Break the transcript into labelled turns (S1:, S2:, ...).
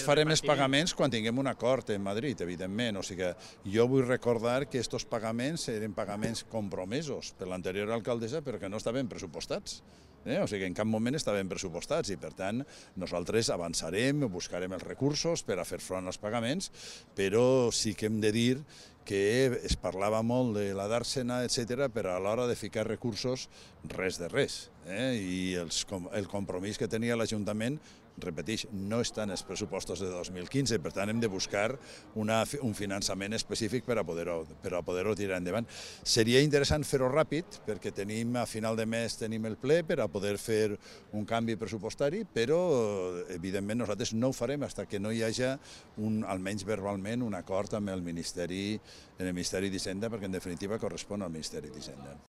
S1: farem els pagaments quan tinguem un acord en Madrid, evidentment. O sigui que jo vull recordar que aquests pagaments eren pagaments compromesos per l'anterior alcaldessa perquè no estaven pressupostats. O sigui, en cap moment estaven pressupostats i, per tant, nosaltres avançarem, buscarem els recursos per a fer front als pagaments, però sí que hem de dir que es parlava molt de la Dàrsena, etc., però a l'hora de ficar recursos, res de res. I el compromís que tenia l'Ajuntament, repeteix, no està en els pressupostos de 2015, per tant hem de buscar un finançament específic per a poder-ho tirar endavant. Seria interessant fer-ho ràpid, perquè a final de mes tenim el ple per a poder fer un canvi pressupostari, però evidentment nosaltres no ho farem fins que no hi hagi, almenys verbalment, un acord amb el Ministeri d'Hisenda, perquè en definitiva correspon al Ministeri d'Hisenda.